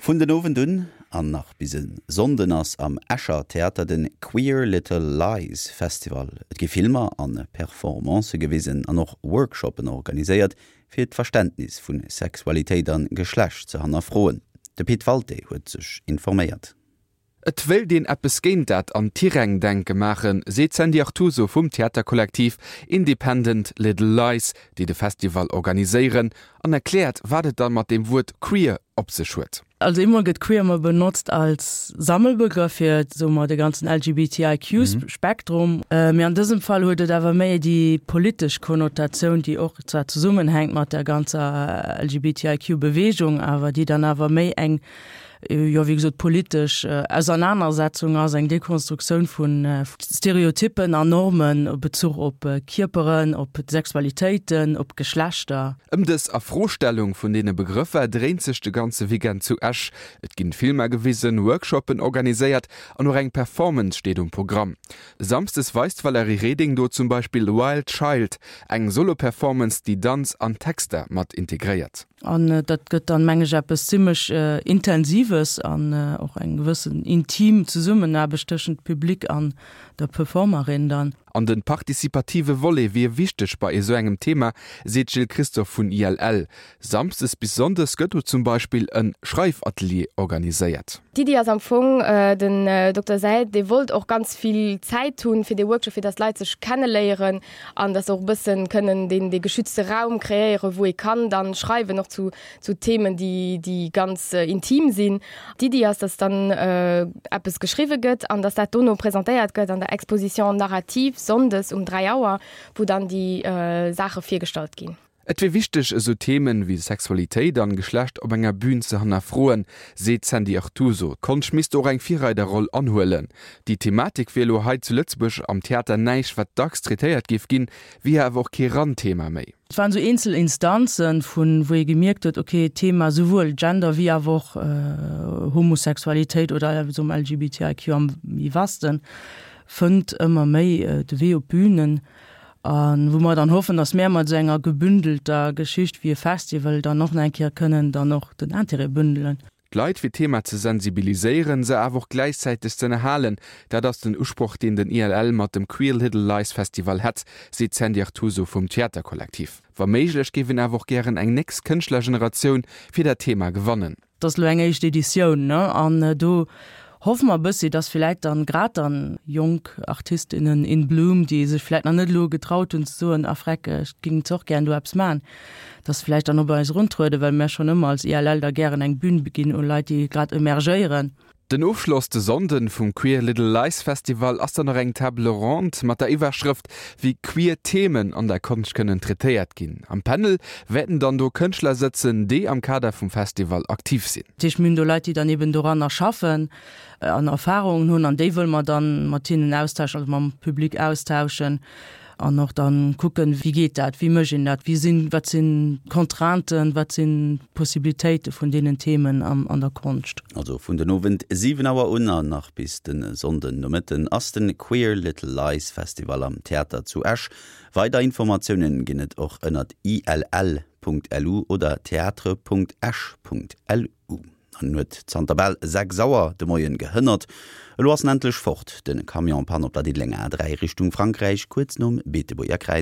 Vun den Owend un an nach bis e Sonnden ass am Escher Theater de Queer Little Lies Festival. Et gi Filmer a Performancë gewisen an och Workshoppen organiséiert, fir d'Verständnis vu Sexualitéit a Geschlecht ze hannerfroen. De Pit Walté huet sech informéiert. Et wéilt een eppes géint dat an Tiräng-Denke maachen, seet d'Sandy Artuso vum Theaterkollektiv Independent Little Lies, déi de Festival organiséieren, an erkläert, wat et dann mat deem Wuert queer op sech huet. Also eemol gëtt queer emol benotzt als Sammelbegrëff fir, soe mer, de ganzen LGBTIQ-Spektrum. Mee an dësem Fall huet et awer méi déi politesch Konnotatioun, déi och zwar zesummenhänkt mat der ganzer LGBTIQ-Beweegung, awer déi dann awer méi eng jo wéi gesot politesch Ausernanersetzung ass, eng Dekonstruktioun vu Stereotyppen an Normen a Bezuch op Kierperen, op Sexualitéiten, op Geschlechter. Ëm dës Afrostellung vun deene Begrëffer dréint sech de ganze Weekend zu Esch. Et ginn Filmer gewisen, Workshoppen organiséiert an och eng Performance steet um Programm. Samsdes weist d'Valérie Reding do zum Beispill Wild Child, eng Solo-Performance, déi Danz an Texter mat integréiert. An dat gëtt dann, meng ech, eppes zimlech Intensives an och eng gewëssen intim Zesummenaarbecht tëschent Public an der Performerin dann. An de participative Volet wier wichteg bei esou engem Thema, seet d'Jill Christophe vun ILL. Samsdes bis Sonndes gëtt do zum Beispill e Schreifatelier organiséiert. D'Iddi ass am Fong, den Dokter Seid, dee wollt och ganz vill Zäit hunn fir dee Workshop, fir datt d'Leit sech kenneléieren an dass se och e bëssen kënnen deen dee geschützte Raum kreéieren, wou ee kann dann schreiwen, och zu zu Themen, déi déi ganz intim sinn. D'Iddi ass, dass dann eppes geschriwwe gëtt an dass dat dono presentéiert gëtt an der Exposition narrative sonndes um 3 Auer, wou dann déi Saache virgestallt ginn. Et wier wichteg, esou Themen wéi Sexualitéit an Geschlecht op enger Bühn ze hannerfroen, seet d'Sandy Artuso. D'Konscht misst do och eng Virreiderroll anhuelen. Déi Thematik wier elo hei zu Lëtzebuerg am Theater näischt, wat dacks traitéiert géif ginn, wier awer och kee Randthema méi. Et waren esou eenzel Instanzen, vun wou ee gemierkt huet, okay, d'Thema souwuel Gender wéi awer och Homosexualitéit oder soe mer LGBTIQ am méi vasten, fënnt ëmmer méi de Wee op d'Bünen. A wou mer dann hoffen, datt mär mat esou enger gebündelter Geschicht wéi e Festival dann och nach eng Kéier kënnen dann och den Intérêt bündelen. D'Leit fir d'Thema ze sensibiliséieren, se awer och gläichzäiteg z'ënnerhalen, dat ass den Usproch, deen den ILL mat dem Queer Little Lies Festival hätt, seet d'Sandy Artuso vum Theaterkollektiv. Wa méiglech géif een awer och gären eng nächst Kënschtlergeneratioun fir dat Thema gewannen. Et ass elo eng éischt Editioun, ne, an do hoffe mer e bëssi, dass villäit dann grad dann jonk Artistinnen in bloom, déi sech villäit nach net elo getraut hunn ze soen, ah freck, ech géing zwar och gären do eppes maachen, dass se villäicht dann och bei eis eruntrueden, well mär schonn ëmmer als ILL da gären eng Bühn ginn u Leit, déi grad emergéieren. Den Ofschloss de Sonnden vum Queer Little Lies Festival ass dann nach eng Table ronde mat der Iwwerschrëft Wéi queer Themen an der Konscht kënnen traitéiert ginn. Am Panel wäerten dann do Kënschtler sëtzen, déi am Kader vum Festival aktiv sinn. Dat heescht, mir hunn do Leit, déi dann eben doranner schaffen an Erfarungen hunn an déi wëlle mer dann mat hinnen austauschen, also mam Public austauschen. An och dann kucken, wéi geet dat, wéi mécht een dat, wéi sinn, wat sinn d'Contrainten, wat sinn d'Possibilitéite vun deenen Themen an der Konscht. Also vun den Owend 7 Auer un an nach bis de Sonnden Nomëtten ass den Queer Little Lies Festival am Theater zu Esch. Weider Informatiounen ginn et och ënnert ill.lu oder theatre.esch.lu. An en huet zanter bal 6 Auer de Moien gehënnert. Elo ass en endlech fort, de Camion-Panne op der Diddelenger A3 Richtung Frankräich, kuerz nom Beetebuerger Kräiz.